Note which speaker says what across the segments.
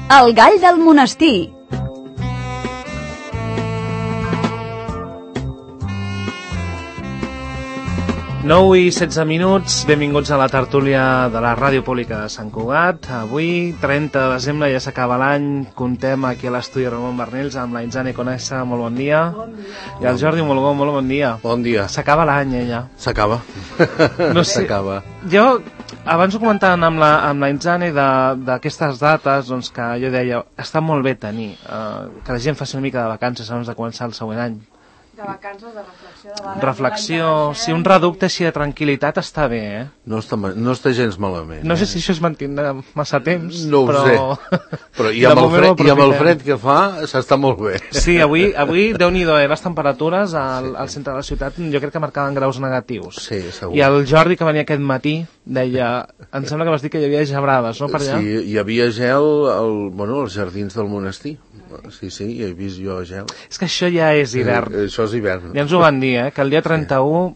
Speaker 1: El gall del monestir.
Speaker 2: Nou i 16 minuts, benvinguts a la tertúlia de la Ràdio Pública de Sant Cugat. Avui, 30 de desembre, ja s'acaba l'any, contem aquí a l'estudi Ramon Barnils amb la Inzane Conesa, molt bon dia. Bon dia. I el Jordi Molgó, molt bon dia.
Speaker 3: Bon dia.
Speaker 2: S'acaba l'any, ja.
Speaker 3: S'acaba.
Speaker 2: No sé, s'acaba. Jo, abans ho comentàvem amb la Inzane d'aquestes dates, doncs que jo deia, està molt bé tenir, que la gent faci una mica de vacances abans de començar el següent any.
Speaker 4: De vacances, de reflexió,
Speaker 2: reflexió, si un reducte així de tranquil·litat està bé,
Speaker 3: No està gens malament.
Speaker 2: No sé si això es mantindrà massa temps,
Speaker 3: no ho sé. Però i amb el fred que fa, s'està molt bé.
Speaker 2: Sí, avui Déu-n'hi-do, les temperatures al centre de la ciutat jo crec que marcaven graus negatius.
Speaker 3: Sí, segur.
Speaker 2: I el Jordi, que venia aquest matí, deia, em sembla que vas dir que hi havia gebrades, no, per allà?
Speaker 3: Sí, hi havia gel als jardins del monestir. Sí, hi he vist jo gel.
Speaker 2: És que això ja és hivern.
Speaker 3: Això és hivern.
Speaker 2: Ja ens ho van dir, que el dia 31,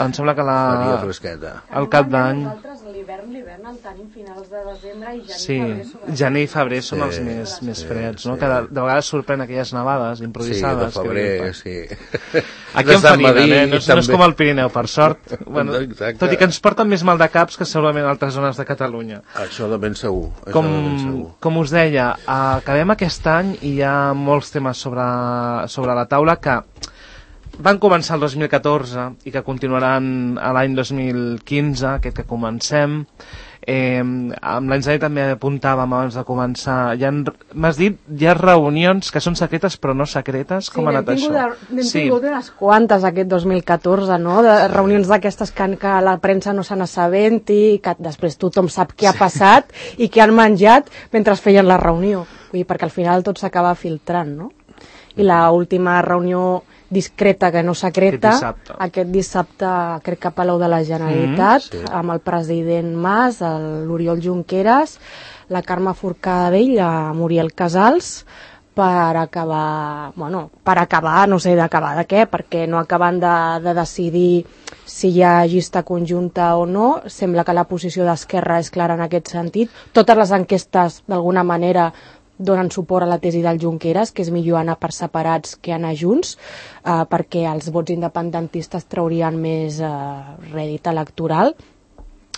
Speaker 2: em sembla que
Speaker 3: faria fresqueta.
Speaker 2: El cap d'any...
Speaker 4: Nosaltres l'hivern el tenim finals de desembre i
Speaker 2: gener i febrer són els més freds, no? Que de vegades sorprèn aquelles nevades improvisades.
Speaker 3: Sí, de febrer, sí.
Speaker 2: Aquí en Farina, no és com el Pirineu, per sort. Tot i que ens porten més mal de caps que segurament altres zones de Catalunya.
Speaker 3: Això de ben segur.
Speaker 2: Com us deia, acabem aquest any i hi ha molts temes sobre la taula que van començar el 2014 i que continuaran a l'any 2015, aquest que comencem. Amb l'Inzane també apuntàvem abans de començar, m'has dit, hi ha reunions que són secretes però no secretes, com ha anat això?
Speaker 4: N'hem tingut unes quantes aquest 2014, no? De reunions d'aquestes que la premsa no se n'assabenti i que després tothom sap què ha passat i què han menjat mentre feien la reunió. Vull dir, perquè al final tot s'acaba filtrant, no? I l'última reunió discreta que no secreta, aquest dissabte crec que a Palau de la Generalitat, amb el president Mas, l'Oriol Junqueras, la Carme Forcadell, la Muriel Casals, per acabar, no sé d'acabar de què, perquè no acaben de decidir si hi ha llista conjunta o no. Sembla que la posició d'Esquerra és clara en aquest sentit. Totes les enquestes, d'alguna manera, donen suport a la tesi del Junqueras, que és millor anar per separats que anar junts, perquè els vots independentistes traurien més rèdit electoral.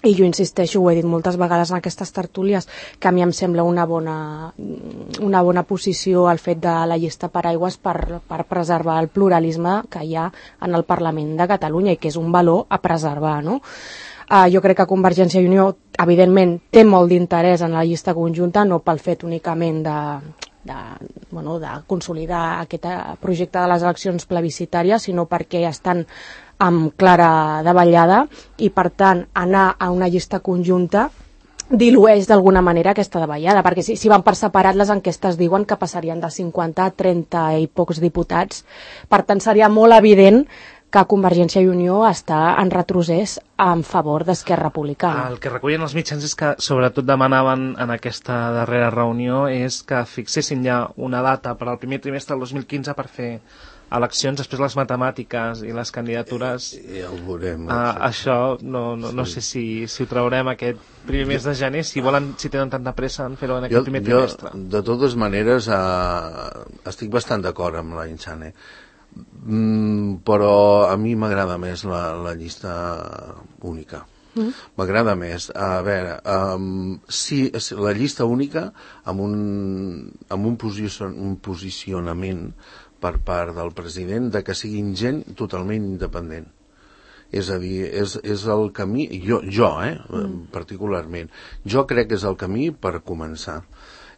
Speaker 4: I jo insisteixo, ho he dit moltes vegades en aquestes tertúlies, que a mi em sembla una bona posició el fet de la llista paraigües per preservar el pluralisme que hi ha en el Parlament de Catalunya i que és un valor a preservar, no? Jo crec que Convergència i Unió, evidentment, té molt d'interès en la llista conjunta, no pel fet únicament de consolidar aquest projecte de les eleccions plebiscitàries, sinó perquè estan amb clara davallada i, per tant, anar a una llista conjunta dilueix d'alguna manera aquesta davallada, perquè si van per separat les enquestes diuen que passarien de 50 a 30 i pocs diputats. Per tant, seria molt evident que Convergència i Unió està en retrocés en favor d'Esquerra Republicana.
Speaker 2: El que recullen els mitjans és que sobretot demanaven en aquesta darrera reunió és que fixessin ja una data per al primer trimestre del 2015 per fer eleccions, després les matemàtiques i les candidatures.
Speaker 3: Ja ho veurem.
Speaker 2: Això no sé si ho traurem aquest primer mes de gener, si tenen tanta pressa en fer-ho en aquest primer trimestre.
Speaker 3: De totes maneres, estic bastant d'acord amb la Inzane. Però a mi m'agrada més la llista única. M'agrada més. A veure, si la llista única amb un posicionament per part del president de que siguin gent totalment independent. És a dir, és el camí, jo particularment, jo crec que és el camí per començar.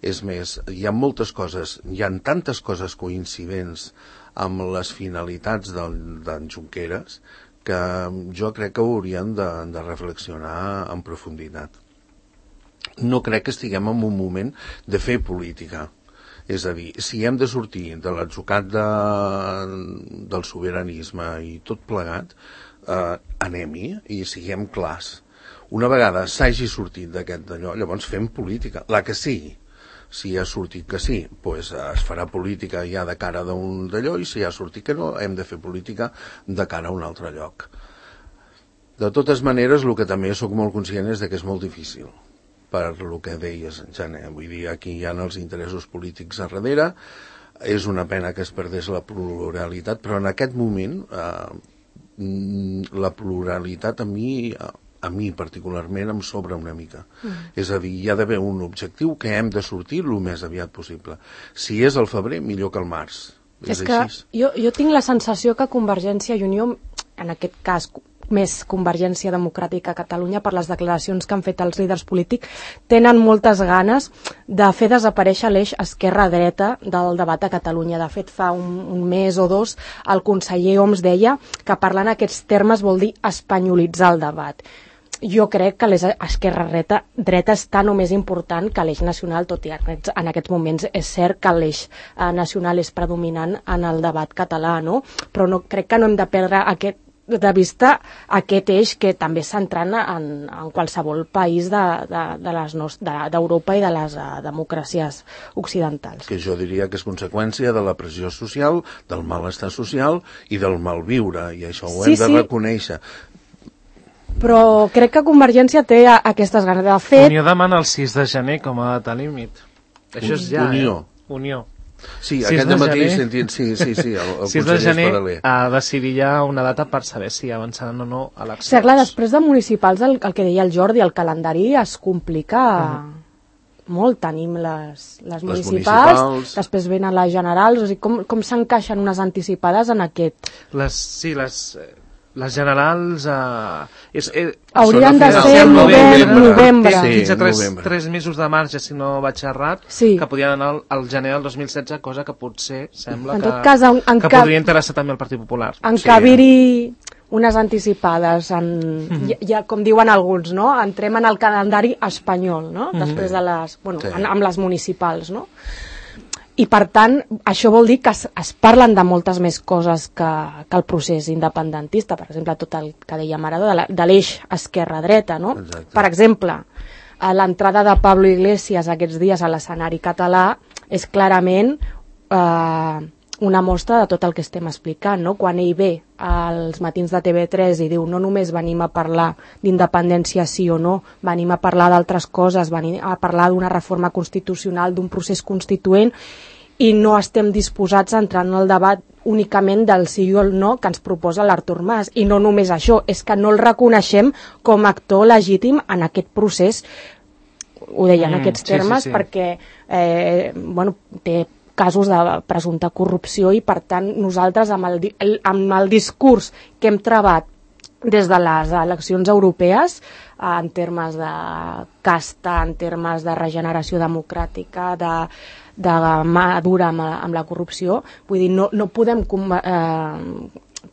Speaker 3: És més, hi ha moltes coses, hi ha tantes coses coincidents amb les finalitats d'en Junqueras que jo crec que haurien de reflexionar en profunditat. No crec que estiguem en un moment de fer política. És a dir, si hem de sortir de l'atzucac del sobiranisme i tot plegat, anem-hi i siguem clars. Una vegada s'hagi sortit d'aquest d'allò, llavors fem política, la que sigui. Si ha sortit que sí, doncs es farà política ja de cara d'un d'allò, i si ha sortit que no, hem de fer política de cara a un altre lloc. De totes maneres, el que també sóc molt conscient és que és molt difícil. per el que deies, Jané. Vull dir, aquí hi ha els interessos polítics a darrere. És una pena que es perdés la pluralitat, però en aquest moment la pluralitat a mi particularment em sobra una mica. És a dir, hi ha d'haver un objectiu que hem de sortir el més aviat possible. Si és al febrer, millor que al març.
Speaker 4: És que jo tinc la sensació que Convergència i Unió, en aquest cas més Convergència Democràtica a Catalunya, per les declaracions que han fet els líders polítics, tenen moltes ganes de fer desaparèixer l'eix esquerra-dreta del debat a Catalunya. De fet, fa un mes o dos el conseller Homs deia que parlar en aquests termes vol dir espanyolitzar el debat. Jo crec que l'eix esquerra-dreta és tan o més important que l'eix nacional, tot i en aquests moments és cert que l'eix nacional és predominant en el debat català, no? Però crec que no hem de perdre de vista aquest eix que també és centrant en qualsevol país d'Europa i de les democràcies occidentals.
Speaker 3: Que jo diria que és conseqüència de la pressió social, del malestar social i del malviure, i això ho hem de reconèixer.
Speaker 4: Però crec que Convergència té aquestes ganes. De fet...
Speaker 2: Unió demana el 6 de gener com a data límit. Això és ja, Unió.
Speaker 3: Sí, aquest matí sentit, sí, el
Speaker 2: 6 de gener a decidir ja una data per saber si avançaran o no eleccions.
Speaker 4: Sí, clar, després de municipals, el que deia el Jordi, el calendari es complica molt. Tenim les municipals, després venen les generals, o sigui, com s'encaixen unes anticipades en aquest...
Speaker 2: Les generals
Speaker 4: haurien de ser novembre.
Speaker 2: Fins a 3 mesos de marge, si no vaig errat, que podien anar al gener del 2016, cosa que potser sembla que podria interessar també al Partit Popular.
Speaker 4: Encabir-hi unes anticipades, ja com diuen alguns, no? Entrem en el calendari espanyol, no? Després de amb les municipals, no? I per tant, això vol dir que es parlen de moltes més coses que el procés independentista, per exemple, tot el que dèiem ara de l'eix esquerra-dreta, no? Exacte. Per exemple, l'entrada de Pablo Iglesias aquests dies a l'escenari català és clarament una mostra de tot el que estem explicant, no? Quan ell ve als matins de TV3 i diu no només venim a parlar d'independència sí o no, venim a parlar d'altres coses, venim a parlar d'una reforma constitucional, d'un procés constituent, i no estem disposats a entrar en el debat únicament del sí o el no que ens proposa l'Artur Mas. I no només això, és que no el reconeixem com a actor legítim en aquest procés. Ho deia en aquests termes perquè té casos de presumpta corrupció i, per tant, nosaltres amb el discurs que hem trebat des de les eleccions europees, en termes de casta, en termes de regeneració democràtica, de mà dura amb la corrupció, vull dir, no podem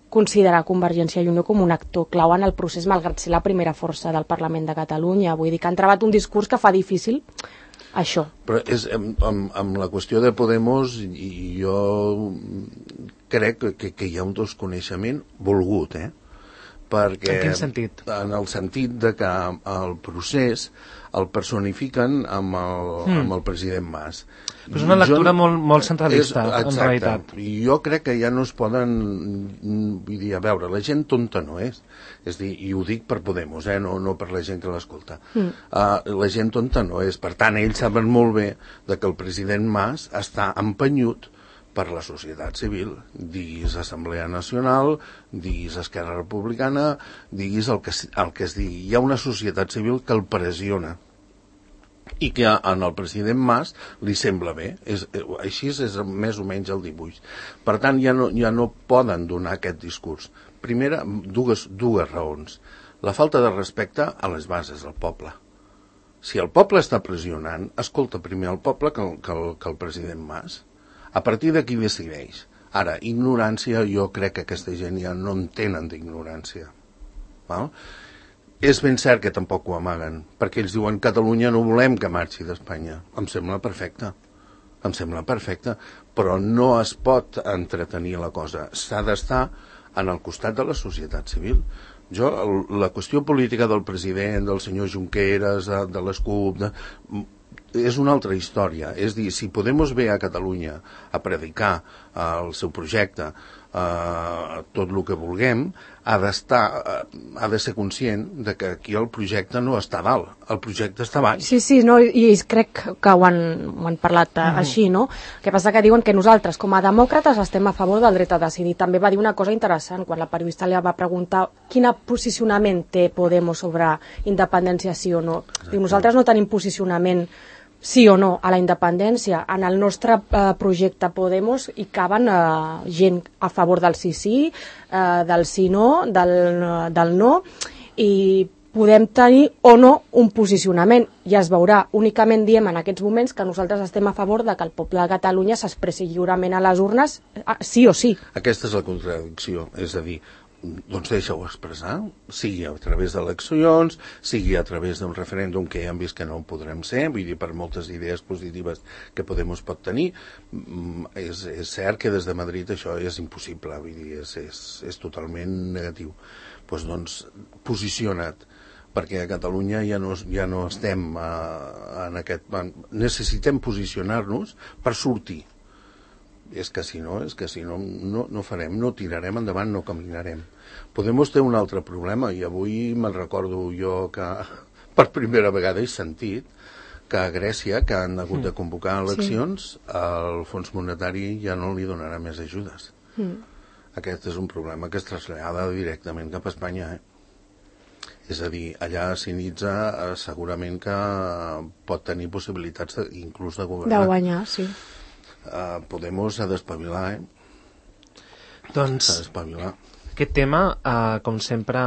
Speaker 4: considerar Convergència i Unió com un actor clau en el procés, malgrat ser la primera força del Parlament de Catalunya. Vull dir que han trebat un discurs que fa difícil això.
Speaker 3: Però amb la qüestió de Podemos, i jo crec que hi ha un desconeixement volgut, perquè...
Speaker 2: En quin sentit?
Speaker 3: En el sentit de que el procés el personifiquen amb el president Mas.
Speaker 2: Però és una lectura molt centralista, en realitat.
Speaker 3: I jo crec que ja no es poden... Vull dir, a veure, la gent tonta no és. És dir, i ho dic per Podemos, no per la gent que l'escolta. La gent tonta no és. Per tant, ells saben molt bé que el president Mas està empenyut per la societat civil, diguis Assemblea Nacional, diguis Esquerra Republicana, diguis el que es digui. Hi ha una societat civil que el pressiona i que en el president Mas li sembla bé. Així és més o menys el dibuix. Per tant, ja no poden donar aquest discurs. Primera, dues raons. La falta de respecte a les bases del poble. Si el poble està pressionant, escolta primer el poble que el president Mas. A partir d'aquí decideix. Ara, ignorància, jo crec que aquesta gent ja no en tenen d'ignorància. És ben cert que tampoc ho amaguen, perquè ells diuen Catalunya no volem que marxi d'Espanya. Em sembla perfecte, però no es pot entretenir la cosa. S'ha d'estar en el costat de la societat civil. La qüestió política del president, del senyor Junqueras, de les CUP... és una altra història. És dir, si Podemos ve a Catalunya a predicar el seu projecte, tot el que vulguem, ha de ser conscient de que aquí el projecte no està dalt, el projecte està baix.
Speaker 4: Sí, no, i crec que ho han parlat així, no? El que passa que diuen que nosaltres, com a demòcrates, estem a favor del dret a decidir. També va dir una cosa interessant, quan la periodista li va preguntar quin posicionament té Podemos sobre independència, sí o no. Diu, nosaltres no tenim posicionament sí o no a la independència. En el nostre projecte Podemos hi caben gent a favor del sí, del sí no, del no, i podem tenir o no un posicionament, i es veurà. Únicament diem en aquests moments que nosaltres estem a favor de que el poble de Catalunya s'expressi lliurement a les urnes, sí o sí.
Speaker 3: Aquesta és la contradicció, és a dir, doncs deixa-ho expressar, sigui a través d'eleccions, sigui a través d'un referèndum que ja hem vist que no ho podrem ser, vull dir, per moltes idees positives que Podemos pot tenir, és cert que des de Madrid això és impossible, vull dir, és totalment negatiu. Doncs posiciona't, perquè a Catalunya ja no estem en aquest... Necessitem posicionar-nos per sortir. És que si no farem, no tirarem endavant, no caminarem. Podemos té un altre problema, i avui me'n recordo jo que per primera vegada he sentit que a Grècia, que han hagut de convocar eleccions, el Fons Monetari ja no li donarà més ajudes. Aquest és un problema que es trasllada directament cap a Espanya, És a dir, allà Syriza segurament que pot tenir possibilitats inclús de governar.
Speaker 4: De guanyar, sí.
Speaker 3: Podemos ha d'espavilar,
Speaker 2: Doncs,
Speaker 3: s'ha d'espavilar.
Speaker 2: Aquest tema, com sempre,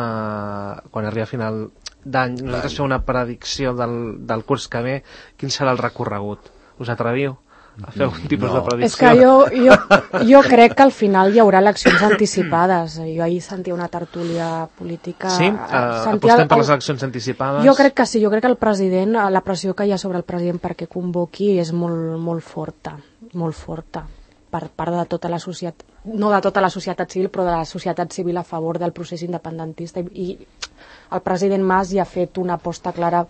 Speaker 2: quan arriba a final d'any, nosaltres fem una predicció del curs que ve, quin serà el recorregut? Us atreviu a fer algun tipus de predicció?
Speaker 4: És que jo crec que al final hi haurà eleccions anticipades. Jo ahir sentia una tertúlia política...
Speaker 2: Sí? Apostem per les eleccions anticipades?
Speaker 4: Jo crec que sí, jo crec que el president, la pressió que hi ha sobre el president perquè convoqui és molt forta, per part de tota la societat, no de tota la societat civil, però de la societat civil a favor del procés independentista, i el president Mas ja ha fet una aposta clara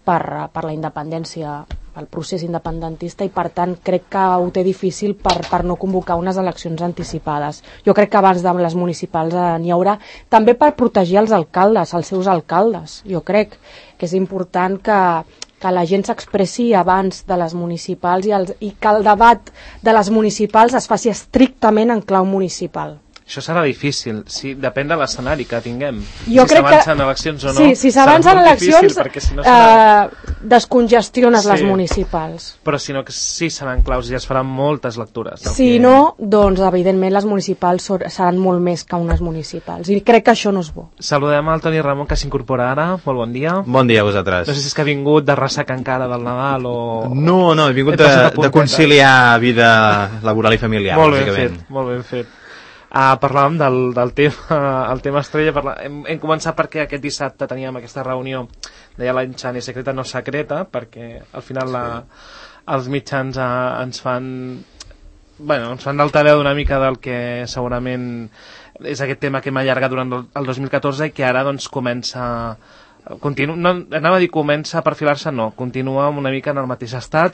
Speaker 4: per la independència, pel procés independentista, i per tant crec que ho té difícil per no convocar unes eleccions anticipades. Jo crec que abans de les municipals n'hi haurà, també per protegir els alcaldes, els seus alcaldes. Jo crec que és important que la gent s'expressi abans de les municipals i que el debat de les municipals es faci estrictament en clau municipal.
Speaker 2: Això serà difícil, sí, depèn de l'escenari que tinguem.
Speaker 4: Jo
Speaker 2: si s'avancen eleccions o no,
Speaker 4: sí, si s'avancen eleccions,
Speaker 2: si no serà...
Speaker 4: descongestiones les municipals.
Speaker 2: Però si no, sí seran claus i es faran moltes lectures.
Speaker 4: Si no, doncs evidentment les municipals seran molt més que unes municipals, i crec que això no és bo.
Speaker 2: Saludem al Toni Ramon, que s'incorpora ara. Molt bon dia.
Speaker 1: Bon dia a vosaltres.
Speaker 2: No sé si és que ha vingut de ressaca encara del Nadal o...
Speaker 1: No, he vingut de conciliar vida laboral i familiar.
Speaker 2: Molt ben fet, molt ben fet. Parlàvem del tema estrella. Hem començat perquè aquest dissabte teníem aquesta reunió, deia la Inchani, secreta no secreta, perquè al final els mitjans ens fan d'altaveu una mica del que segurament és aquest tema que hem allargat durant el 2014 i que ara doncs comença a perfilar-se, no, continua una mica en el mateix estat.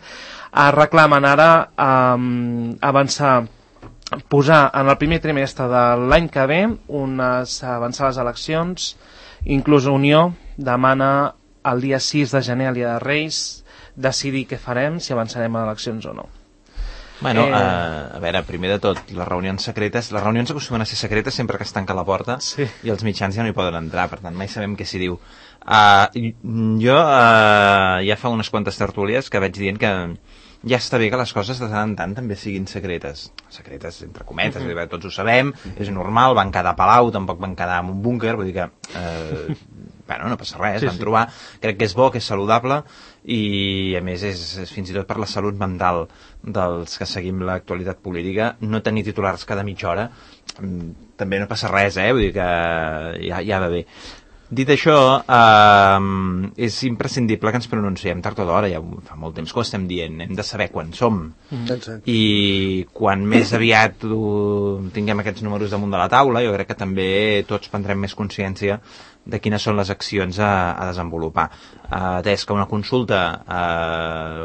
Speaker 2: Reclamen ara avançar, posar en el primer trimestre de l'any que ve avançar les eleccions. Inclús Unió demana el dia 6 de gener, el dia de Reis, decidir què farem, si avançarem a eleccions o no.
Speaker 1: Bueno, a veure, primer de tot, les reunions acostumen a ser secretes sempre que es tanca la porta, sí, i els mitjans ja no hi poden entrar, per tant mai sabem què s'hi diu. Jo ja fa unes quantes tertúlies que vaig dient que ja està bé que les coses de tant en tant també siguin secretes entre cometes, tots ho sabem, és normal, van quedar a Palau, tampoc van quedar en un búnquer, vull dir que no passa res, van trobar, crec que és bo, que és saludable, i a més és fins i tot per la salut mental dels que seguim l'actualitat política, no tenir titulars cada mitja hora també no passa res, vull dir que ja va bé. Dit això, és imprescindible que ens pronunciem tard o d'hora, ja fa molt temps que ho estem dient, hem de saber quan som. I quan més aviat tinguem aquests números damunt de la taula, jo crec que també tots prendrem més consciència de quines són les accions a desenvolupar. Atès que una consulta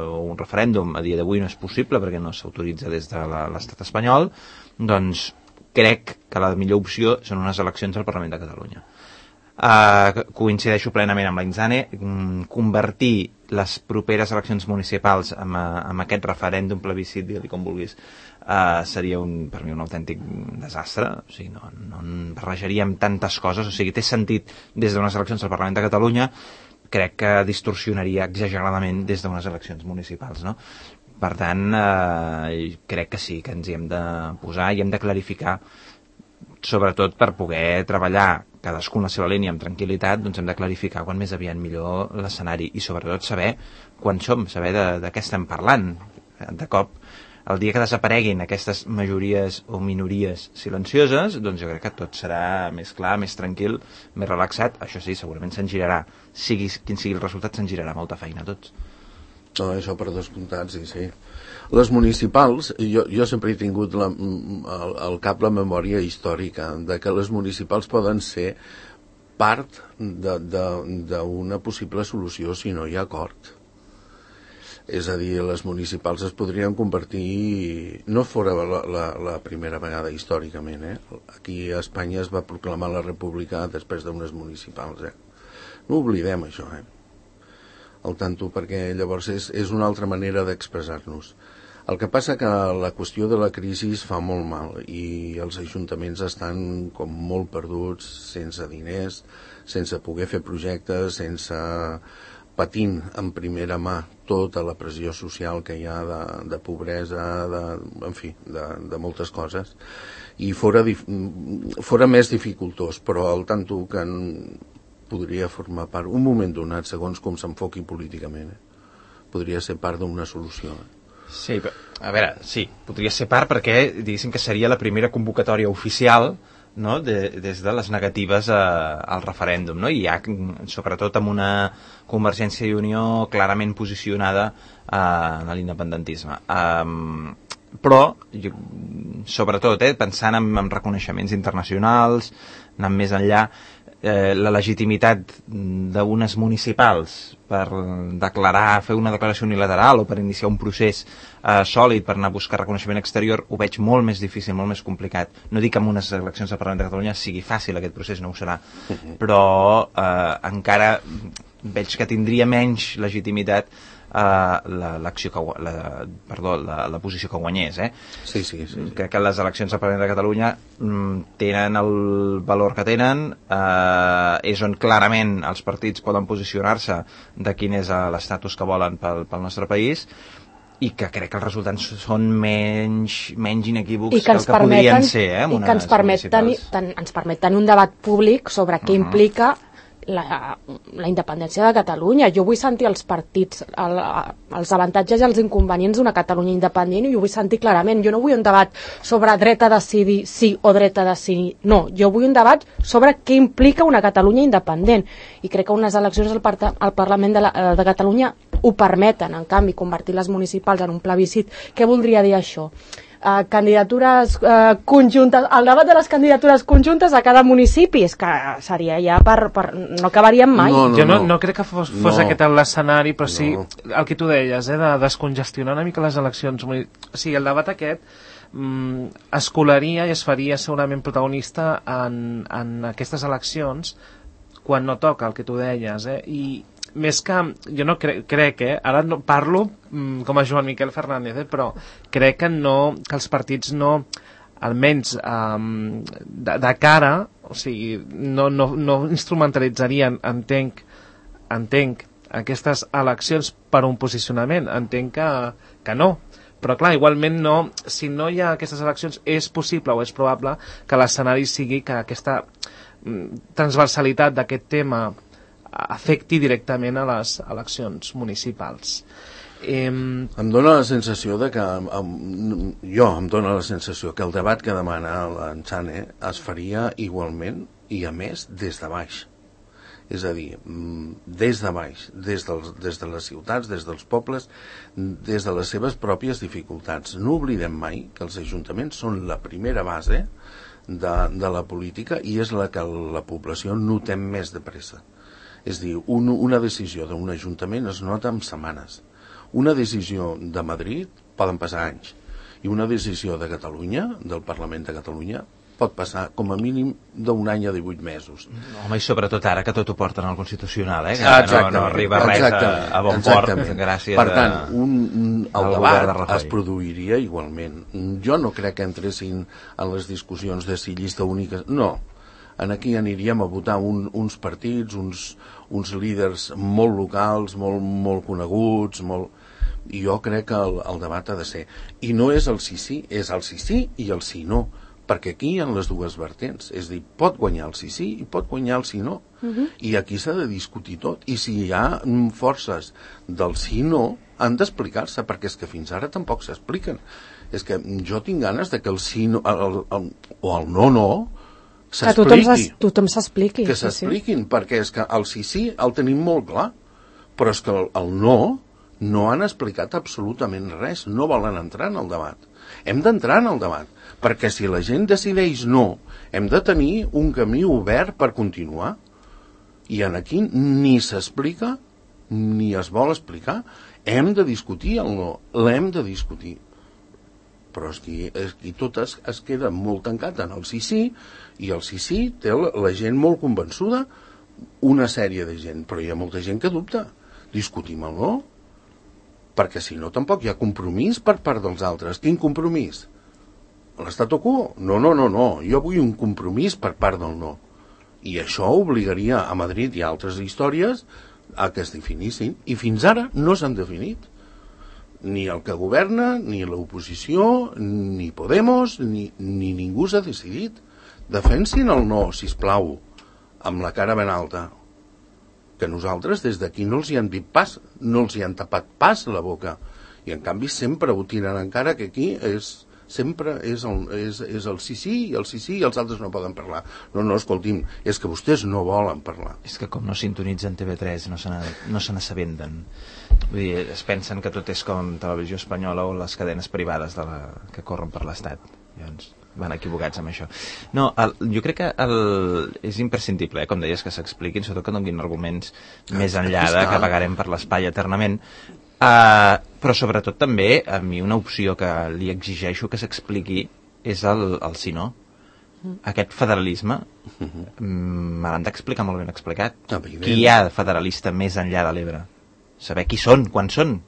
Speaker 1: o un referèndum a dia d'avui no és possible perquè no s'autoritza des de l'estat espanyol, doncs crec que la millor opció són unes eleccions al Parlament de Catalunya. Coincideixo plenament amb la Inzane, convertir les properes eleccions municipals amb aquest referèndum, plebiscit, digue-li com vulguis, seria per mi un autèntic desastre. O sigui, no barrejaríem tantes coses, o sigui, té sentit des d'unes eleccions al Parlament de Catalunya, crec que distorsionaria exageradament des d'unes eleccions municipals, no? Per tant, crec que sí, que ens hi hem de posar i hem de clarificar, sobretot per poder treballar cadascú en la seva línia amb tranquil·litat, doncs hem de clarificar quan més aviat millor l'escenari i sobretot saber quan som, saber de què estem parlant. De cop, el dia que desapareguin aquestes majories o minories silencioses, doncs jo crec que tot serà més clar, més tranquil, més relaxat. Això sí, segurament se'n girarà, quin sigui el resultat, se'n girarà molta feina a tots.
Speaker 3: No, això per descomptat, sí. Les municipals, jo sempre he tingut al cap la memòria històrica de que les municipals poden ser part d'una possible solució si no hi ha acord. És a dir, les municipals es podrien convertir, no fora la primera vegada històricament, aquí a Espanya es va proclamar la república després d'unes municipals, no oblidem això, al tanto, perquè llavors és una altra manera d'expressar-nos. El que passa que la qüestió de la crisi fa molt mal i els ajuntaments estan com molt perduts, sense diners, sense poder fer projectes, patint en primera mà tota la pressió social que hi ha de pobresa, en fi, de moltes coses. I fora més dificultós, però al tanto que podria formar part, un moment donat, segons com s'enfoqui políticament, podria ser part d'una solució.
Speaker 1: Sí, a veure, sí, podria ser part perquè diguéssim que seria la primera convocatòria oficial, no? Des de les negatives al referèndum, no? I ja sobretot amb una Convergència i Unió clarament posicionada en l'independentisme. Però sobretot pensant en reconeixements internacionals, anant més enllà, la legitimitat d'unes municipals per fer una declaració unilateral o per iniciar un procés sòlid per anar a buscar reconeixement exterior ho veig molt més difícil, molt més complicat. No dic que amb unes eleccions al Parlament de Catalunya sigui fàcil aquest procés, no ho serà, però encara veig que tindria menys legitimitat la posició que guanyés.
Speaker 3: Sí.
Speaker 1: Crec que les eleccions al Parlament de Catalunya tenen el valor que tenen, és on clarament els partits poden posicionar-se de quin és l'estatus que volen pel nostre país, i que crec que els resultats són menys inequívocs que el que podrien ser
Speaker 4: i que ens permet tenir un debat públic sobre què implica la independència de Catalunya. Jo vull sentir els partits, els avantatges i els inconvenients d'una Catalunya independent, i ho vull sentir clarament. Jo no vull un debat sobre dret a decidir sí o dret a decidir no. Jo vull un debat sobre què implica una Catalunya independent. I crec que unes eleccions al Parlament de Catalunya ho permeten. En canvi, convertir les municipals en un plebiscit, què voldria dir això? Candidatures conjuntes, el debat de les candidatures conjuntes a cada municipi, és que seria ja no acabaríem mai.
Speaker 2: Jo no crec que fos aquest l'escenari, però sí el que tu deies, de descongestionar una mica les eleccions. O sigui, el debat aquest es colaria i es faria segurament protagonista en aquestes eleccions quan no toca, el que tu deies, i més que, jo no crec, ara no parlo com a Joan Miquel Fernández, però crec que els partits no, almenys de cara, o sigui, no instrumentalitzarien, entenc aquestes eleccions per un posicionament, entenc que no. Però clar, igualment si no hi ha aquestes eleccions, és possible o és probable que l'escenari sigui que aquesta transversalitat d'aquest tema afecti directament a les eleccions municipals.
Speaker 3: Em dóna la sensació que el debat que demana l'Ensane es faria igualment i a més des de baix. És a dir, des de baix, des de les ciutats, des dels pobles, des de les seves pròpies dificultats. No oblidem mai que els ajuntaments són la primera base de la política i és la que la població notem més de pressa. És a dir, una decisió d'un ajuntament es nota en setmanes. Una decisió de Madrid poden passar anys. I una decisió de Catalunya, del Parlament de Catalunya, pot passar com a mínim d'un any a 18 mesos.
Speaker 1: Home, i sobretot ara que tot ho porten al Constitucional,
Speaker 3: que
Speaker 1: no arriba res a bon port gràcies
Speaker 3: per tant, el debat es produiria igualment. Jo no crec que entressin en les discussions de si llista única... No, aquí aniríem a votar uns partits, uns líders molt locals, molt coneguts, i jo crec que el debat ha de ser. I no és el sí, és el sí i el sí no, perquè aquí hi ha les dues vertents, és a dir, pot guanyar el sí i pot guanyar el sí no, i aquí s'ha de discutir tot, i si hi ha forces del sí no, han d'explicar-se, perquè és que fins ara tampoc s'expliquen. És que jo tinc ganes de que el sí no, o el no, s'expliqui.
Speaker 4: Que tothom s'expliqui.
Speaker 3: Que s'expliquin, perquè és que el sí el tenim molt clar, però és que el no han explicat absolutament res, no volen entrar en el debat. Hem d'entrar en el debat, perquè si la gent decideix no, hem de tenir un camí obert per continuar. I aquí ni s'explica, ni es vol explicar. Hem de discutir el no, l'hem de discutir. Però aquí tot es queda molt tancat en el sí, i el sí té la gent molt convençuda, una sèrie de gent, però hi ha molta gent que dubta. Discutim el no, perquè si no tampoc hi ha compromís per part dels altres. Quin compromís? L'statu quo? No, jo vull un compromís per part del no. I això obligaria a Madrid i a altres històries a que es definissin, i fins ara no s'han definit. Ni el que governa, ni l'oposició, ni Podemos, ni ningú s'ha decidit. Defensin el no, sisplau, amb la cara ben alta. Que nosaltres des d'aquí no els hi han dit pas, no els hi han tapat pas la boca, i en canvi sempre ho tiren encara que aquí sempre és el sí i el sí i els altres no poden parlar. No, escolti'm, és que vostès no volen parlar.
Speaker 1: És que com no sintonitzen TV3 no se n'assabenten. Vull dir, es pensen que tot és com Televisió Espanyola o les cadenes privades que corren per l'Estat. Llavors van equivocats amb això. No, jo crec que és imprescindible, com deies, que s'expliquin, sobretot que donin arguments més enllà de que pagarem per l'espai eternament, però sobretot també a mi una opció que li exigeixo que s'expliqui és el sí no. Aquest federalisme me l'han d'explicar molt ben explicat. Qui hi ha federalista més enllà de l'Ebre? Saber qui són, quan són,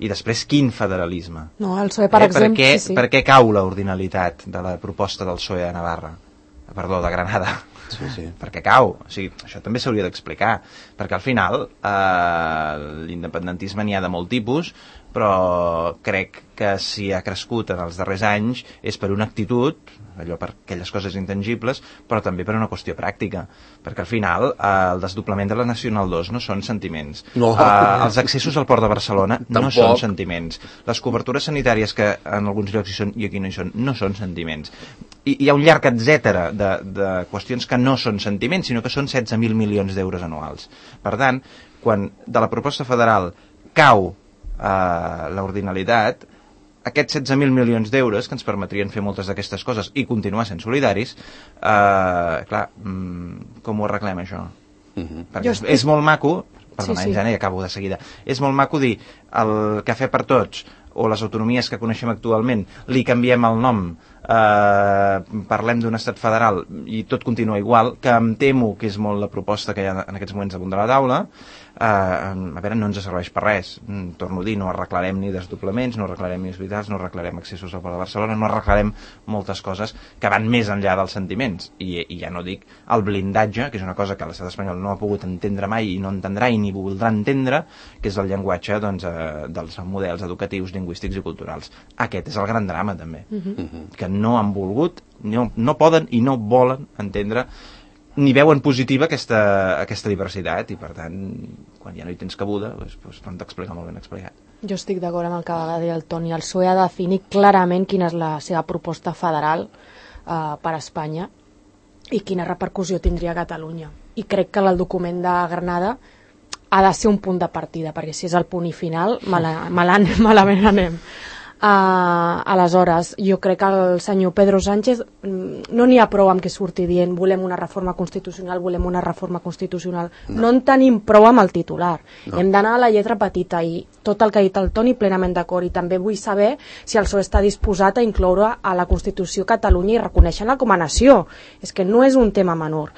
Speaker 1: i després quin federalisme.
Speaker 4: No, el PSOE, per exemple, sí.
Speaker 1: Per què cau l'ordinalitat de la proposta del PSOE de Navarra? Perdó, de Granada.
Speaker 3: Sí.
Speaker 1: Per què cau? O sigui, això també s'hauria d'explicar, perquè al final l'independentisme n'hi ha de molt tipus, però crec que si ha crescut en els darrers anys és per una actitud, allò per aquelles coses intangibles, però també per una qüestió pràctica, perquè al final el desdoblament de la Nacional 2 no són sentiments, els accessos al Port de Barcelona no són sentiments, les cobertures sanitàries que en alguns llocs hi són i aquí no hi són, no són sentiments, i hi ha un llarg etcètera de qüestions que no són sentiments, sinó que són 16.000 milions d'euros anuals. Per tant, quan de la proposta federal cau l'ordinalitat, aquests 16.000 milions d'euros que ens permetrien fer moltes d'aquestes coses i continuar sent solidaris, clar, com ho arreglem això? Perquè és molt maco, perdona, ja acabo de seguida, és molt maco dir el cafè per tots o les autonomies que coneixem actualment li canviem el nom, parlem d'un estat federal i tot continua igual, que em temo que és molt la proposta que hi ha en aquests moments damunt de la taula. A veure, no ens serveix per res, torno a dir, no arreglarem ni desdoblaments, no arreglarem ni hospitals, no arreglarem accessos al Port de Barcelona, no arreglarem moltes coses que van més enllà dels sentiments, i ja no dic el blindatge, que és una cosa que l'estat espanyol no ha pogut entendre mai i no entendrà i ni voldrà entendre, que és el llenguatge dels models educatius, lingüístics i culturals. Aquest és el gran drama també, que no han volgut, no poden i no volen entendre ni veuen positiva aquesta diversitat, i per tant, quan ja no hi tens cabuda, doncs t'han d'explicar molt ben explicat.
Speaker 4: Jo estic d'acord amb el que va dir el Toni. El PSOE ha de definir clarament quina és la seva proposta federal per a Espanya i quina repercussió tindria a Catalunya. i crec que el document de Granada ha de ser un punt de partida, perquè si és el punt i final, malament anem. Aleshores, jo crec que el senyor Pedro Sánchez no n'hi ha prou amb que surti dient volem una reforma constitucional, no en tenim prou amb el titular, hem d'anar a la lletra petita, i tot el que ha dit el Toni plenament d'acord, i també vull saber si el PSOE està disposat a incloure a la Constitució Catalunya i reconèixer-la com a nació, és que no és un tema menor.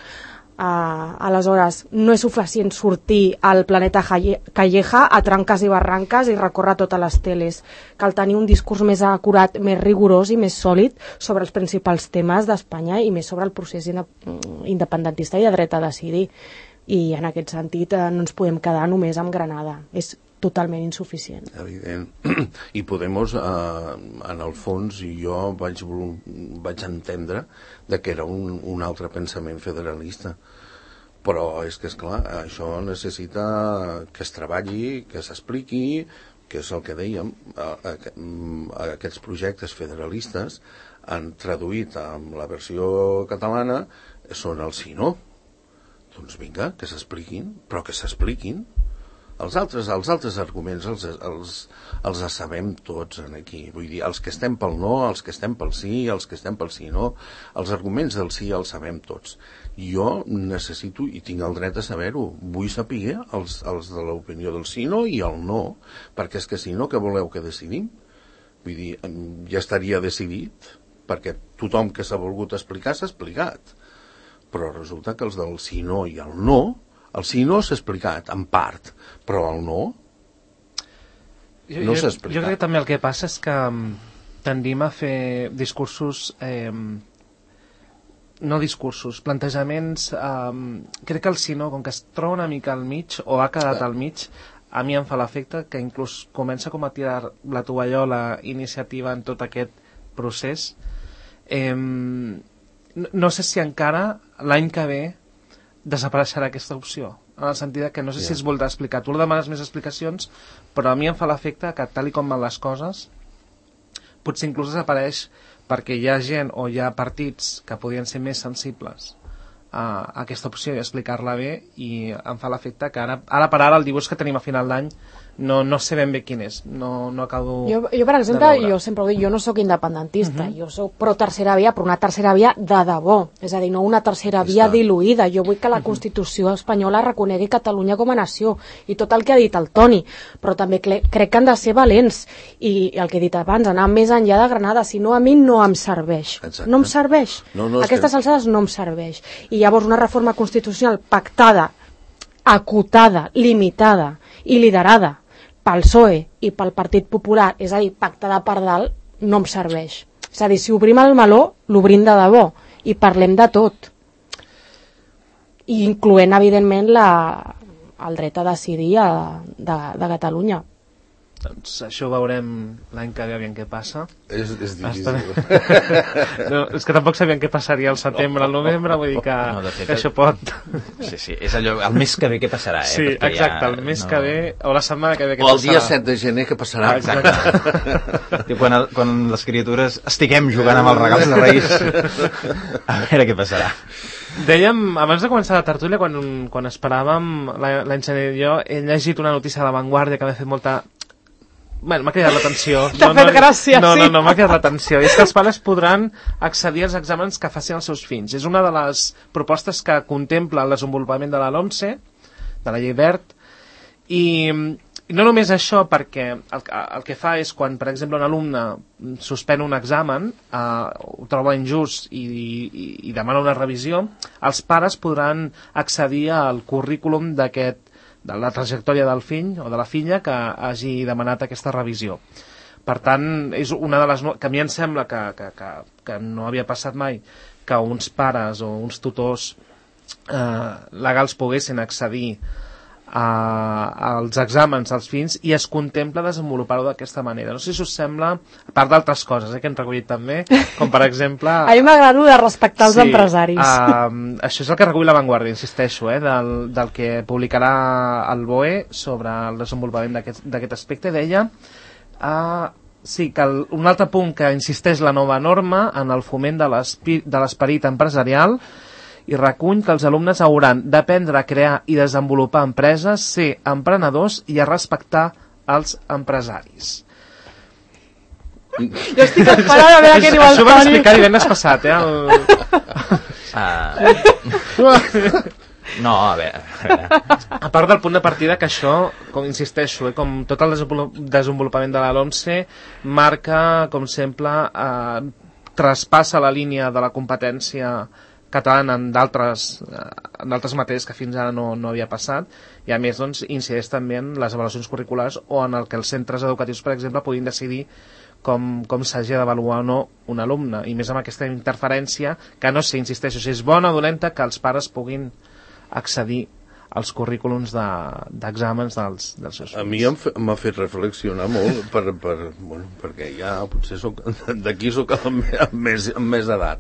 Speaker 4: Aleshores, no és suficient sortir al planeta Calleja a tranques i barranques i recórrer totes les teles. Cal tenir un discurs més acurat, més rigorós i més sòlid sobre els principals temes d'Espanya i més sobre el procés independentista i de dret a decidir. I en aquest sentit no ens podem quedar només amb Granada. És totalment insuficient.
Speaker 3: Evident. I Podemos, en el fons, jo vaig entendre que era un altre pensament federalista. Però és que, esclar, això necessita que es treballi, que s'expliqui, que és el que dèiem, aquests projectes federalistes han traduït amb la versió catalana són el sí, no? Doncs vinga, que s'expliquin, però que s'expliquin. Els altres arguments els sabem tots aquí. Vull dir, els que estem pel no, els que estem pel sí, els que estem pel sí no, els arguments del sí els sabem tots. Jo necessito, i tinc el dret a saber-ho, vull saber els de l'opinió del sí no i el no, perquè és que si no, què voleu que decidim? Vull dir, ja estaria decidit, perquè tothom que s'ha volgut explicar s'ha explicat. Però resulta que els del sí no i el no, el sí no s'ha explicat, en part, però el no s'ha explicat.
Speaker 2: Jo crec que també el que passa és que tendim a fer discursos, plantejaments, crec que el sí no, com que es troba una mica al mig, o ha quedat al mig, a mi em fa l'efecte que inclús comença com a tirar la tovallola iniciativa en tot aquest procés. No sé si encara l'any que ve desapareixerà aquesta opció, en el sentit que no sé si es voldrà explicar. Tu demanes més explicacions, però a mi em fa l'efecte que tal i com van les coses potser inclús desapareix perquè hi ha gent o hi ha partits que podien ser més sensibles a aquesta opció i explicar-la bé, i em fa l'efecte que ara per ara el dibuix que tenim a final d'any no sé ben bé quin és, no acabo
Speaker 4: jo per exemple, jo sempre ho dic, jo no sóc independentista, jo sóc pro tercera via, però una tercera via de debò, és a dir, no una tercera via diluïda. Jo vull que la Constitució espanyola reconegui Catalunya com a nació, i tot el que ha dit el Toni, però també crec que han de ser valents, i el que he dit abans, anar més enllà de Granada, si no a mi no em serveix. Exacte. No em serveix. Aquestes alçades no em serveix. I llavors una reforma constitucional pactada, acotada, limitada i liderada pel PSOE i pel Partit Popular, és a dir, pactada per dalt, no em serveix. És a dir, si obrim el meló, l'obrim de debò i parlem de tot. I incloent, evidentment, el dret a decidir de Catalunya.
Speaker 2: Doncs això ho veurem l'any que ve, aviam què passa.
Speaker 3: És difícil.
Speaker 2: No, és que tampoc sabíem què passaria al setembre, al novembre, vull dir que això pot...
Speaker 1: Sí, és allò, el mes que ve què passarà,
Speaker 2: Sí, exacte, el mes que ve, o la setmana que ve què passarà.
Speaker 3: O el dia 7 de gener què passarà.
Speaker 1: Exacte. Quan les criatures estiguem jugant amb els regals de Reis, a veure què passarà.
Speaker 2: Dèiem, abans de començar la tertúlia, quan esperàvem l'any gener i jo, he llegit una notícia de La Vanguardia que m'ha fet molta... Bueno, m'ha cridat l'atenció.
Speaker 4: T'ha fet gràcia, sí.
Speaker 2: No, m'ha cridat l'atenció. I és que els pares podran accedir als exàmens que facin els seus fills. És una de les propostes que contempla el desenvolupament de la LOMCE, de la llei Wert, i no només això, perquè el que fa és quan, per exemple, un alumne suspèn un examen, ho troba injust i demana una revisió, els pares podran accedir al currículum de la trajectòria del fill o de la filla que hagi demanat aquesta revisió. Per tant, és una de les que a mi em sembla que no havia passat mai, que uns pares o uns tutors legals poguessin accedir als exàmens dels fills, i es contempla desenvolupar-ho d'aquesta manera. No sé si us sembla, a part d'altres coses que hem recollit també, com per exemple...
Speaker 4: A mi m'agrada de respectar els empresaris.
Speaker 2: Això és el que recull La Vanguardia, insisteixo, del que publicarà el BOE sobre el desenvolupament d'aquest aspecte. Deia sí, que un altre punt que insisteix la nova norma en el foment de l'esperit empresarial i recull que els alumnes hauran d'aprendre a crear i desenvolupar empreses, ser emprenedors i a respectar els empresaris.
Speaker 4: Jo estic esperant a veure què diu el
Speaker 2: Això ho vam
Speaker 4: Toni.
Speaker 2: explicar divendres passat,
Speaker 1: No, a veure.
Speaker 2: A part del punt de partida que això, com insisteixo, com tot el desenvolupament de la LOMCE marca, com sempre, traspassa la línia de la competència catalana en d'altres matèries que fins ara no havia passat, i a més doncs, incideix també en les avaluacions curriculars o en el que els centres educatius, per exemple, puguin decidir com s'hagi d'avaluar o no un alumne, i més amb aquesta interferència que no sé, insisteixo, si és bona o dolenta que els pares puguin accedir als currículums d'exàmens dels seus fills.
Speaker 3: A mi m'ha fet reflexionar molt perquè ja potser d'aquí soc amb més edat,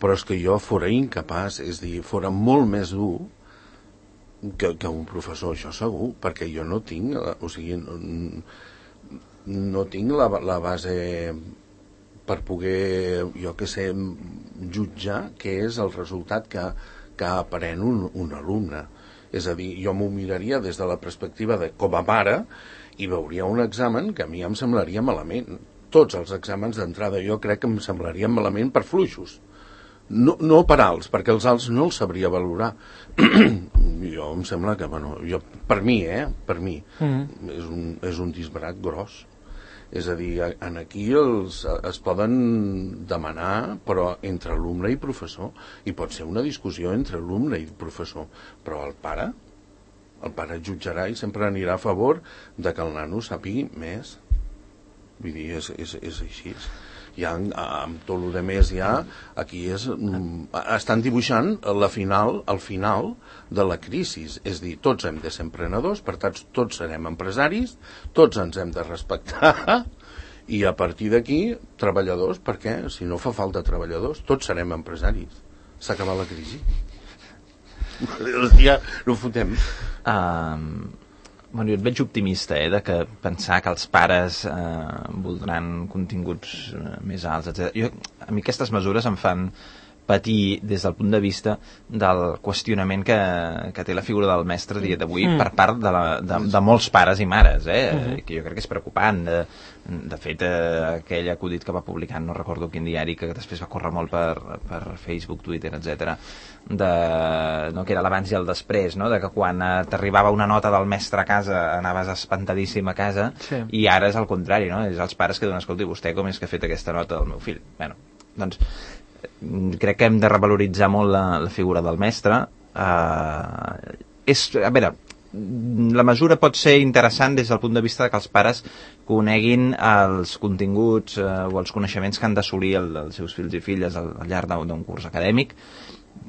Speaker 3: però és que jo fora incapaç, és dir, fora molt més dur que un professor, això segur, perquè jo no tinc, o sigui, no tinc la base per poder, jo què sé, jutjar què és el resultat que aprèn un alumne. És a dir, jo m'ho miraria des de la perspectiva de com a mare i veuria un examen que a mi em semblaria malament. Tots els exàmens d'entrada jo crec que em semblarien malament per fluixos. No per alts, perquè els alts no els sabria valorar. Jo em sembla que, bueno, per mi, és un disbarat gros. És a dir, aquí es poden demanar, però entre alumne i professor, i pot ser una discussió entre alumne i professor, però el pare jutjarà i sempre anirà a favor de que el nano sàpigui més. Vull dir, és així. Ja, amb tot el més ja, aquí estan dibuixant el final de la crisi. És dir, tots hem de ser emprenedors, per tant, tots serem empresaris, tots ens hem de respectar, i a partir d'aquí, treballadors, perquè si no fa falta treballadors, tots serem empresaris. S'ha acabat la crisi. Ja no fotem.
Speaker 1: Bueno, jo et veig optimista, de que pensar que els pares voldran continguts més alts, etc. A mi aquestes mesures em fan patir des del punt de vista del qüestionament que té la figura del mestre a dia d'avui per part de molts pares i mares, que jo crec que és preocupant. De fet, aquell acudit que va publicar, no recordo quin diari, que després va córrer molt per Facebook, Twitter, etc., que era l'abans i el després, de que quan t'arribava una nota del mestre a casa anaves espantadíssim a casa, i ara és al contrari, és els pares que diuen, escolti, vostè com és que ha fet aquesta nota del meu fill? Bueno, doncs crec que hem de revaloritzar molt la figura del mestre. A veure, la mesura pot ser interessant des del punt de vista que els pares coneguin els continguts o els coneixements que han d'assolir els seus fills i filles al llarg d'un curs acadèmic.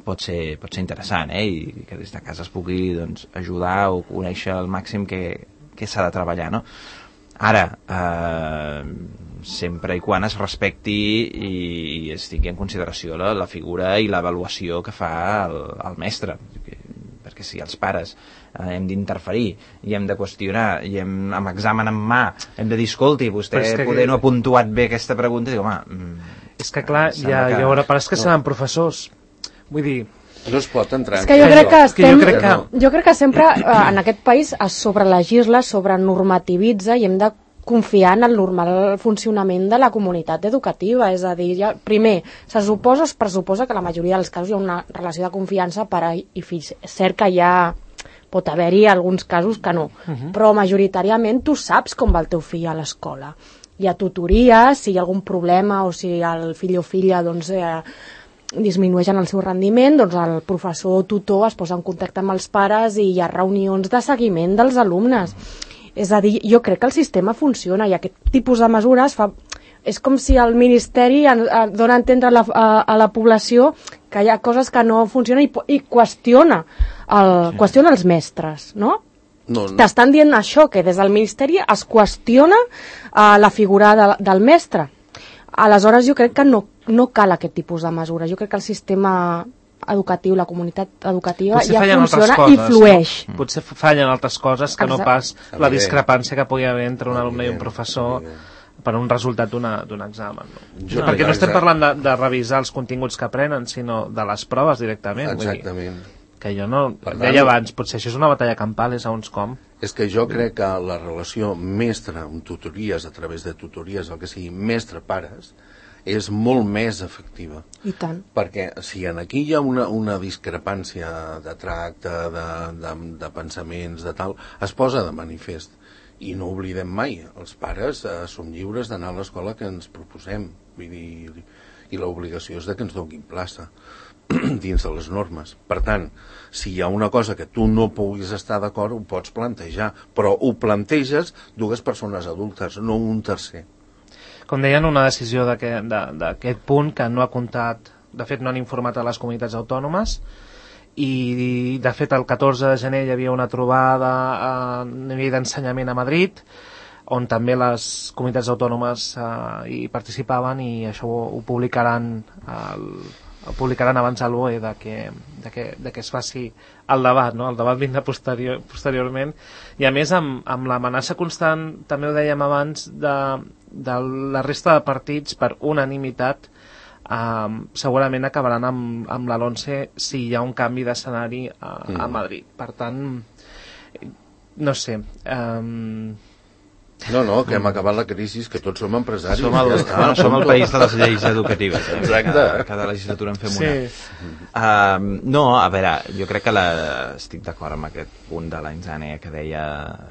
Speaker 1: Pot ser interessant, i que des de casa es pugui ajudar o conèixer al màxim què s'ha de treballar, no? Ara, sempre i quan es respecti i es tingui en consideració la figura i l'avaluació que fa el mestre, perquè si els pares hem d'interferir i hem de qüestionar i amb examen en mà hem de dir, escolti, vostè poder no ha puntuat bé aquesta pregunta, i dic, home...
Speaker 2: És que clar, hi haurà pares que seran professors, vull dir...
Speaker 3: No es pot entrar.
Speaker 4: És que jo crec que sempre en aquest país es sobrelegisla, sobrenormativitza i hem de confiar en el normal funcionament de la comunitat educativa. És a dir, primer, es pressuposa que la majoria dels casos hi ha una relació de confiança pare i fills. És cert que pot haver-hi alguns casos que no, però majoritàriament tu saps com va el teu fill a l'escola. Hi ha tutories, si hi ha algun problema o si el fill o filla disminueixen el seu rendiment, doncs el professor o tutor es posa en contacte amb els pares i hi ha reunions de seguiment dels alumnes. És a dir, jo crec que el sistema funciona i aquest tipus de mesures és com si el Ministeri dona a entendre a la població que hi ha coses que no funcionen i qüestiona els mestres, no? T'estan dient això, que des del Ministeri es qüestiona la figura del mestre. Aleshores jo crec que no cal aquest tipus de mesures. Jo crec que el sistema educatiu, la comunitat educativa ja funciona i flueix.
Speaker 2: No? Potser fallen altres coses que no pas la discrepància que pugui haver entre un alumne i un professor per un resultat d'un examen. No? Perquè no estem parlant de revisar els continguts que aprenen, sinó de les proves directament.
Speaker 3: Exactament.
Speaker 2: Que jo no... Deia abans, potser això és una batalla campal, és segons com.
Speaker 3: És que jo crec que la relació mestre amb tutories, a través de tutories, el que sigui mestre-pares, és molt més efectiva.
Speaker 4: I tant.
Speaker 3: Perquè si aquí hi ha una discrepància de tracte, de pensaments, de tal, es posa de manifest. I no oblidem mai, els pares som lliures d'anar a l'escola que ens proposem. Vull dir, i l'obligació és de que ens donin plaça dins de les normes. Per tant, si hi ha una cosa que tu no puguis estar d'acord, ho pots plantejar, però ho planteges dues persones adultes, no un tercer.
Speaker 2: Com deien, una decisió d'aquest punt que no ha comptat, de fet no han informat a les comunitats autònomes, i de fet el 14 de gener hi havia una trobada a nivell d'ensenyament a Madrid, on també les comunitats autònomes hi participaven, i això ho publicaran abans al BOE de que es faci el debat, no? El debat vindrà posteriorment, i a més amb l'amenaça constant, també ho dèiem abans, de la resta de partits per unanimitat, segurament acabaran amb la LONCE si hi ha un canvi d'escenari a Madrid. Per tant, no sé...
Speaker 3: No, que hem acabat la crisi, que tots som empresaris.
Speaker 1: Som el país de les lleis educatives.
Speaker 3: Exacte.
Speaker 1: Cada legislatura en fem una. No, a veure, jo crec que estic d'acord amb aquest punt de l'Ainzane que deia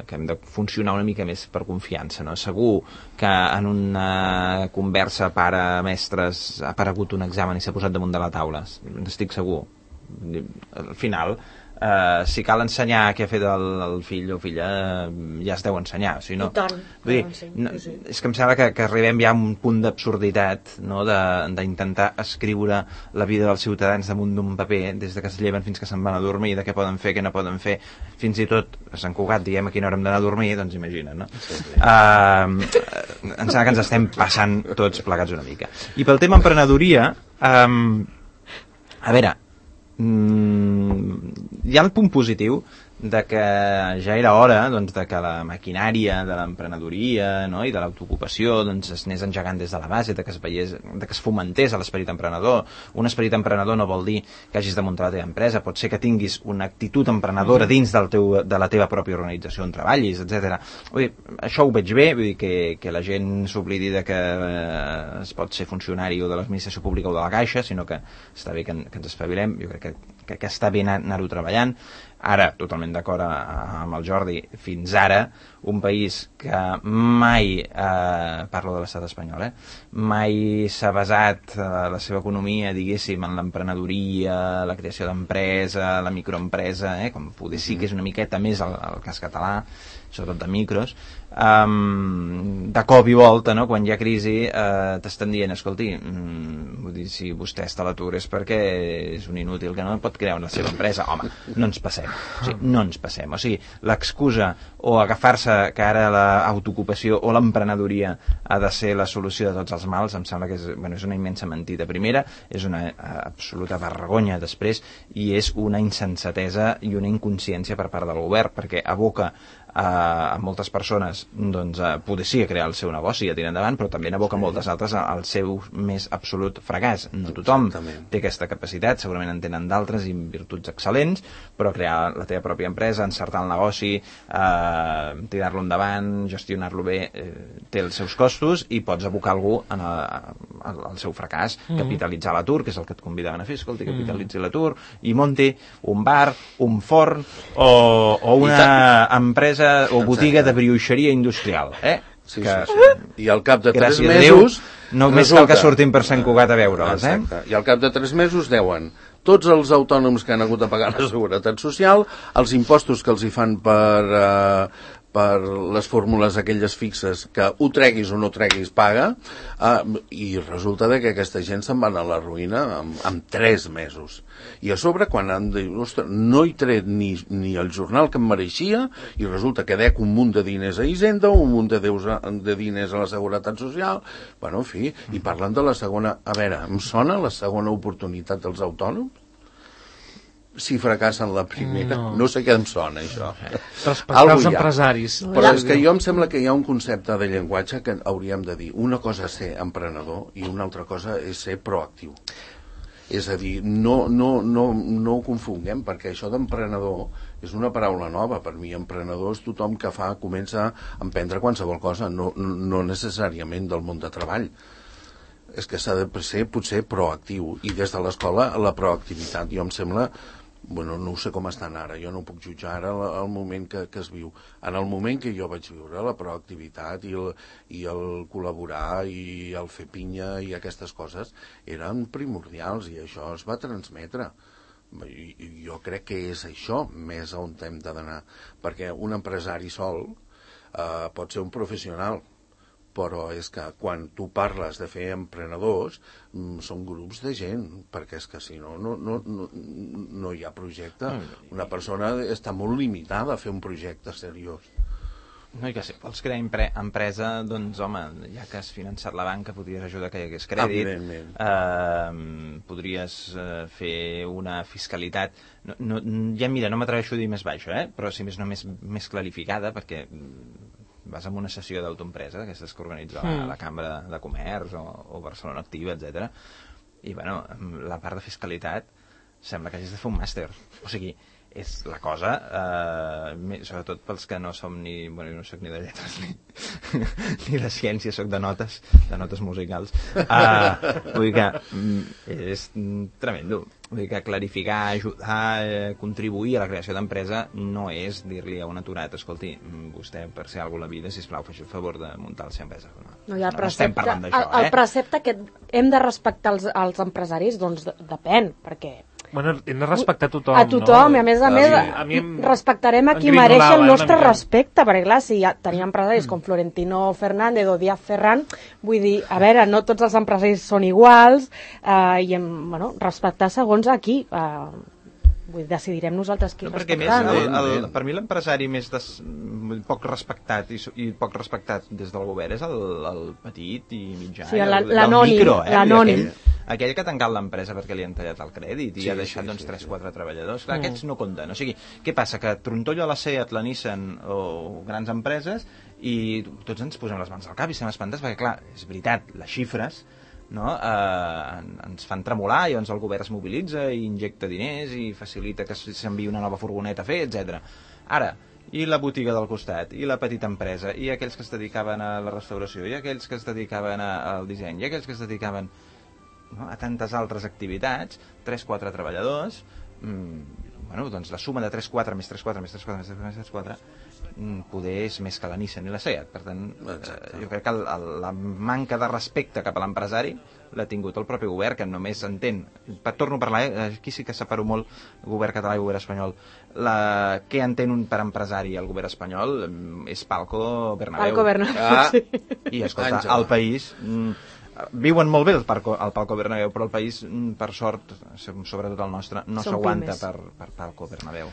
Speaker 1: que hem de funcionar una mica més per confiança, no? Segur que en una conversa pare-mestres ha aparegut un examen i s'ha posat damunt de la taula. Estic segur. Al final... si cal ensenyar què ha fet el fill o filla, ja es deu ensenyar. O sigui, no,
Speaker 4: I tant.
Speaker 1: És que em sembla que arribem ja a un punt d'absurditat, no? D'intentar escriure la vida dels ciutadans damunt d'un paper des de que es lleven fins que se'n van a dormir, de què poden fer, què no poden fer, fins i tot a Sant Cugat diem a quina hora hem d'anar a dormir, doncs imagina't, no? Em sembla que ens estem passant tots plegats una mica. I pel tema emprenedoria, a veure, hi ha el punt positiu de que ja era hora, doncs, de que la maquinària de l'emprenedoria, no? I de l'autoocupació, doncs, es anés engegant des de la base, de que es fomentés l'esperit emprenedor. Un esperit emprenedor no vol dir que hagis de muntar la teva empresa, pot ser que tinguis una actitud emprenedora dins de la teva pròpia organització on treballis, etc. Això ho veig bé, vull dir que la gent s'oblidi de que es pot ser funcionari o de l'administració pública o de la Caixa, sinó que està bé que ens espavilem. Jo crec que està bé anar-ho treballant. Ara, totalment d'acord amb el Jordi, fins ara, un país que mai, parlo de l'estat espanyol, mai s'ha basat la seva economia, diguéssim, en l'emprenedoria, la creació d'empresa, la microempresa, com poder sí que és una miqueta més el cas català, sobretot de micros, de cop i volta, no? Quan hi ha crisi, t'estan dient, escolti, vull dir, si vostè està a l'atur és perquè és un inútil que no pot crear una seva empresa. Home, no ens passem. O sigui, no ens passem. O sigui, l'excusa o agafar-se que ara l'autoocupació o l'emprenedoria ha de ser la solució de tots els mals, em sembla que és una immensa mentida. Primera, és una absoluta vergonya després, i és una insensatesa i una inconsciència per part del govern, perquè aboca a moltes persones doncs, poder sí a crear el seu negoci i a tirar endavant, però també n'aboca moltes altres al seu més absolut fracàs. No tothom té aquesta capacitat, segurament en tenen d'altres i virtuts excel·lents, però crear la teva pròpia empresa, encertar el negoci, tirar-lo endavant, gestionar-lo bé, té els seus costos, i pots abocar algú al seu fracàs, capitalitzar l'atur, que és el que et convidaven a fer, escolti, capitalitzi l'atur, i munti un bar, un forn o una empresa o botiga de brioixeria industrial,
Speaker 3: Sí. I al cap de 3 mesos...
Speaker 1: Només cal que surtin per Sant Cugat a veure'ls,
Speaker 3: I al cap de 3 mesos deuen tots els autònoms que han hagut de pagar la seguretat social, els impostos que els hi fan per les fórmules aquelles fixes, que ho treguis o no treguis paga, i resulta que aquesta gent se'n van a la ruïna en 3 mesos. I a sobre, quan han dit, ostres, no he tret ni el jornal que em mereixia, i resulta que dec un munt de diners a Hisenda, un munt de diners a la Seguretat Social, bueno, en fi, i parlen de la segona... A veure, em sona la segona oportunitat dels autònoms? si fracassen la primera. No sé què em sona, això.
Speaker 2: Respectar els empresaris.
Speaker 3: Però és que jo em sembla que hi ha un concepte de llenguatge que hauríem de dir. Una cosa és ser emprenedor i una altra cosa és ser proactiu. És a dir, no ho confonguem, perquè això d'emprenedor és una paraula nova. Per mi, emprenedor és tothom que comença a emprendre qualsevol cosa, no necessàriament del món de treball. És que s'ha de ser potser proactiu, i des de l'escola la proactivitat, jo em sembla, no ho sé com estan ara, jo no puc jutjar ara el moment que es viu. En el moment que jo vaig viure, la proactivitat i el col·laborar i el fer pinya i aquestes coses eren primordials, i això es va transmetre. Jo crec que és això més on hem d'anar, perquè un empresari sol pot ser un professional, però és que quan tu parles de fer emprenedors són grups de gent, perquè és que si no hi ha projecte. Una persona està molt limitada a fer un projecte seriós.
Speaker 1: No, i que si vols crear empresa, doncs home, ja que has finançat la banca, podries ajudar que hi hagués crèdit, podries fer una fiscalitat, ja mira, no m'atreveixo a dir més baixa, però si més no més clarificada, perquè vas a una sessió d'autoempresa, d'aquestes que organitza la Cambra de Comerç o Barcelona Activa, etc. I, bueno, la part de fiscalitat sembla que hagis de fer un màster. O sigui, és la cosa, sobretot pels que no som ni... Bueno, jo no soc ni de lletres ni de ciència, soc de notes musicals. Vull dir que és tremendo. Vull dir que clarificar, ajudar, contribuir a la creació d'empresa no és dir-li a un aturat, escolti, vostè per ser alguna a la vida, sisplau, faci el favor de muntar la seva empresa.
Speaker 4: No estem parlant d'això, el precepte que hem de respectar els empresaris, doncs depèn, perquè...
Speaker 2: Bueno, hem de respectar tothom,
Speaker 4: a tothom, no? I a més, respectarem a qui mereix el nostre respecte, perquè clar, si ja tenim empresaris com Florentino Fernández o Díaz Ferran, vull dir, a veure, no tots els empresaris són iguals, i respectar segons a qui, decidirem nosaltres qui respectar.
Speaker 1: Per mi l'empresari més poc respectat i poc respectat des del govern és el petit i mitjà,
Speaker 4: l'anònim,
Speaker 1: aquell que ha tancat l'empresa perquè li han tallat el crèdit i ha deixat 3-4 treballadors. Clar, aquests no compten. O sigui, què passa? Que trontollo a la SEAT, la Nissan o grans empreses i tots ens posem les mans al cap i estem espantats perquè, clar, és veritat, les xifres ens fan tremolar i llavors el govern es mobilitza i injecta diners i facilita que s'enviï una nova furgoneta a fer, etc. Ara, i la botiga del costat, i la petita empresa, i aquells que es dedicaven a la restauració, i aquells que es dedicaven al disseny, i aquells que es dedicaven a tantes altres activitats, 3-4 treballadors, doncs la suma de 3-4 més 3-4 més 3-4 més 3-4 més 3-4 poder és més que la Nissan i la SEAT. Per tant, jo crec que la manca de respecte cap a l'empresari l'ha tingut el propi govern, que només entén, torno a parlar, aquí sí que separo molt el govern català i el govern espanyol, què entén per empresari el govern espanyol és Palco Bernabéu.
Speaker 4: Sí.
Speaker 1: I escolta, el país... Viuen molt bé el Palco Bernabéu, però el país, per sort, sobretot el nostre, no s'aguanta per Palco Bernabéu.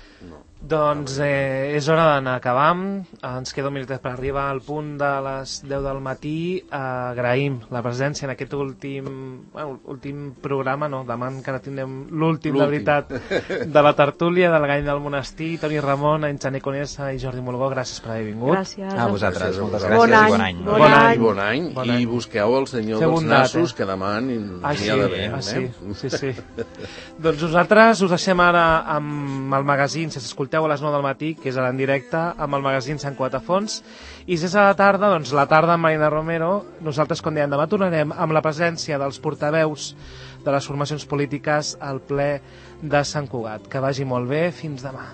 Speaker 2: Doncs és hora d'anar acabant. Ens queda un minutet per arribar al punt de les 10 del matí. Agraïm la presència en aquest últim programa, demà encara tindrem l'últim, de veritat, de la tertúlia del Gall del Monestir. Toni Ramon, Enxané Conesa i Jordi Molgó, gràcies per haver vingut.
Speaker 4: Gràcies.
Speaker 1: A vosaltres, moltes gràcies i bon any.
Speaker 3: Bon any. I busqueu el senyor dels nassos, que demà n'hi ha d'haver.
Speaker 2: Sí. Doncs nosaltres us deixem ara amb el magazín, si s'escolteu a les 9 del matí, que és ara en directe, amb el magazín Sant Quatafons, i si és a la tarda, doncs la tarda amb Marina Romero. Nosaltres, com dèiem, demà tornarem amb la presència dels portaveus de les formacions polítiques al ple de Sant Cugat. Que vagi molt bé, fins demà.